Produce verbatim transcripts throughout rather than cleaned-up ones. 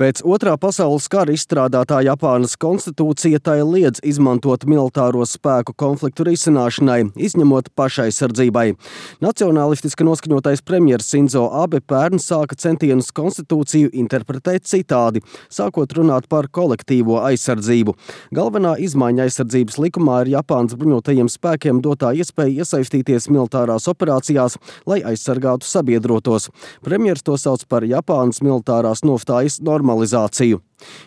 Pēc Otrā pasaules kara izstrādātā Japānas konstitūcija tai liedz izmantot militāro spēku konfliktu risināšanai, izņemot pašaizsardzībai. Nacionālistiski noskaņotais premjers Sinzo Abe pērn sāka centienus konstitūciju interpretēt citādi, sākot runāt par kolektīvo aizsardzību. Galvenā izmaiņa aizsardzības likumā ir Japānas bruņotajiem spēkiem dotā iespēja iesaistīties militārās operācijās, lai aizsargātu sabiedrotos. Premjers to sauc par Japānas militārās nostājas normalizāciju.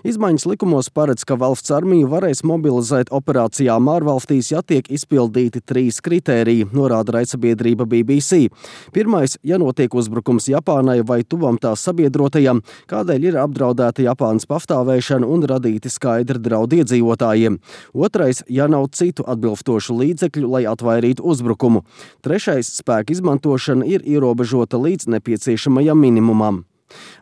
Izmaiņas likumos paredz, ka valsts armiju varēs mobilizēt operācijām ārvalstīs, ja tiek izpildīti trīs kritēriji, norāda raidsabiedrība B B C. Pirmais, ja notiek uzbrukums Japānai vai tuvam tās sabiedrotajam, kādēļ ir apdraudēta Japānas pastāvēšana un radīti skaidri draudi iedzīvotājiem. Otrais, ja nav citu atbilstošu līdzekļu, lai atvairītu uzbrukumu. Trešais, spēka izmantošana ir ierobežota līdz nepieciešamajam minimumam.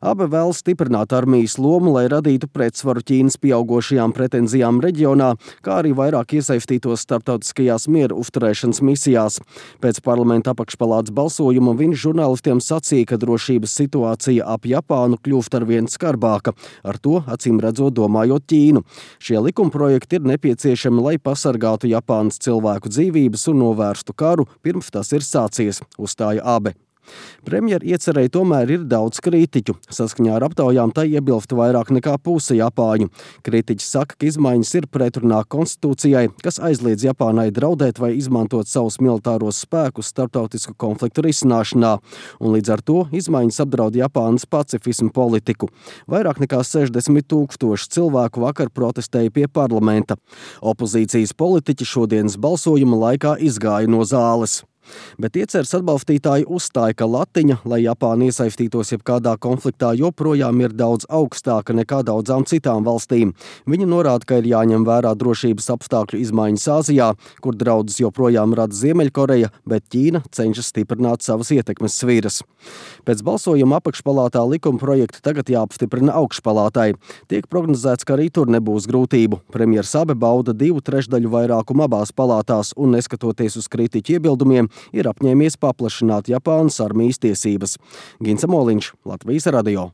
Abe vēlas stiprināt armijas lomu, lai radītu pretsvaru Ķīnas pieaugošajām pretenzijām reģionā, kā arī vairāk iesaistītos starptautiskajās miera uzturēšanas misijās. Pēc parlamenta apakšpalātas balsojuma viņš žurnālistiem sacīja, ka drošības situācija ap Japānu kļūst arvien skarbāka, ar to acīm redzot domājot Ķīnu. Šie likumprojekti ir nepieciešami, lai pasargātu Japānas cilvēku dzīvības un novērstu karu, pirms tas ir sācies, uzstāja Abe. Premjera iecerēji tomēr ir daudz kritiķu. Saskaņā ar aptaujām tai iebilst vairāk nekā puse japāņu. Kritiķi saka, ka izmaiņas ir pretrunā konstitūcijai, kas aizliedz Japānai draudēt vai izmantot savus militāros spēkus starptautisku konfliktu risināšanā, un līdz ar to izmaiņas apdraud Japānas pacifismu politiku. Vairāk nekā sešdesmit tūkstoši cilvēku vakar protestēja pie parlamenta. Opozīcijas politiķi šodienas balsojuma laikā izgāja no zāles. Bet ieceres atbalstītāji uzstāja, ka latiņa, lai Japāna iesaistītos jebkādā konfliktā, joprojām ir daudz augstāka nekā daudzām citām valstīm. Viņi norāda, ka ir jāņem vērā drošības apstākļu izmaiņas Āzijā, kur draudus joprojām rada Ziemeļkoreja, bet Ķīna cenšas stiprināt savas ietekmes sviras. Pēc balsojuma apakšpalātā likuma projekti tagad jāapstiprina augšpalātai. Tiek prognozēts, ka arī tur nebūs grūtību. Premjers Abe bauda divu trešdaļu vairākumu abās palātās un, neskatoties uz kritiķu iebildumiem, ir apņēmies paplašināt Japānas armijas tiesības. Gins Moliņš, Latvijas radio.